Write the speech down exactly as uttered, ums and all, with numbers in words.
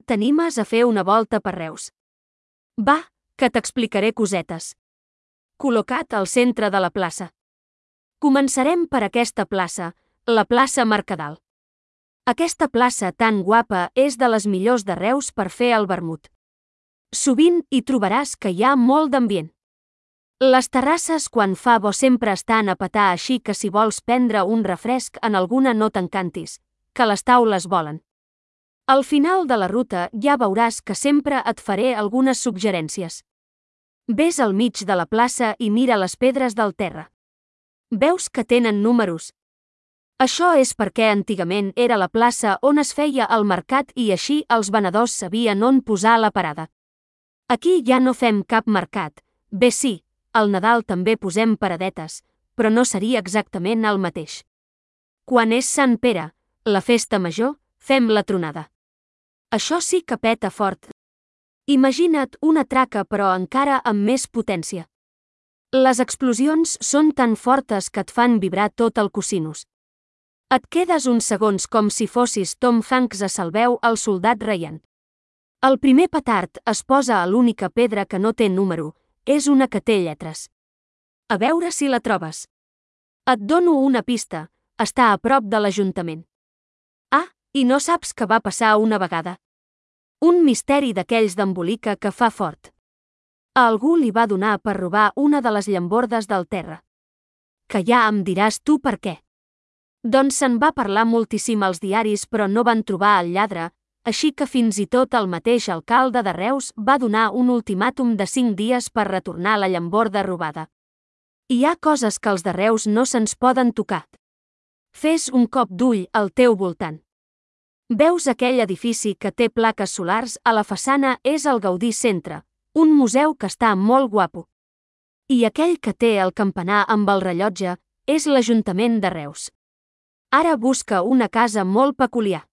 t'animes a fer una volta per Reus? Va, que t'explicaré cosetes. Col·locat al centre de la plaça. Començarem per aquesta plaça, la plaça Mercadal. Aquesta plaça tan guapa és de les millors de Reus per fer el vermut. Sovint hi trobaràs que hi ha molt d'ambient. Les terrasses quan fa bo sempre estan a petar, així que si vols prendre un refresc en alguna no t'encantis, que les taules volen. Al final de la ruta ja veuràs que sempre et faré algunes suggerències. Ves al mig de la plaça i mira les pedres del terra. Veus que tenen números? Això és perquè antigament era la plaça on es feia el mercat i així els venedors sabien on posar la parada. Aquí ja no fem cap mercat, bé sí, al Nadal també posem paradetes, però no seria exactament el mateix. Quan és Sant Pere, la festa major, fem la tronada. Això sí que peta fort. Imagina't una traca però encara amb més potència. Les explosions són tan fortes que et fan vibrar tot el cosinus. Et quedes uns segons com si fossis Tom Hanks a Salveu el soldat Ryan. El primer petard es posa a l'única pedra que no té número, és una que té lletres. A veure si la trobes. Et dono una pista, està a prop de l'Ajuntament. Ah, i no saps què va passar una vegada? Un misteri d'aquells d'embolica que fa fort. A algú li va donar per robar una de les llambordes del terra. Que ja em diràs tu per què. Doncs se'n va parlar moltíssim als diaris però no van trobar el lladre, així que fins i tot el mateix alcalde de Reus va donar un ultimàtum de cinc dies per retornar la llamborda robada. Hi ha coses que els de Reus no se'ns poden tocar. Fes un cop d'ull al teu voltant. Veus aquell edifici que té plaques solars a la façana? És el Gaudí Centre, un museu que està molt guapo. I aquell que té el campanar amb el rellotge és l'Ajuntament de Reus. Ara busca una casa molt peculiar.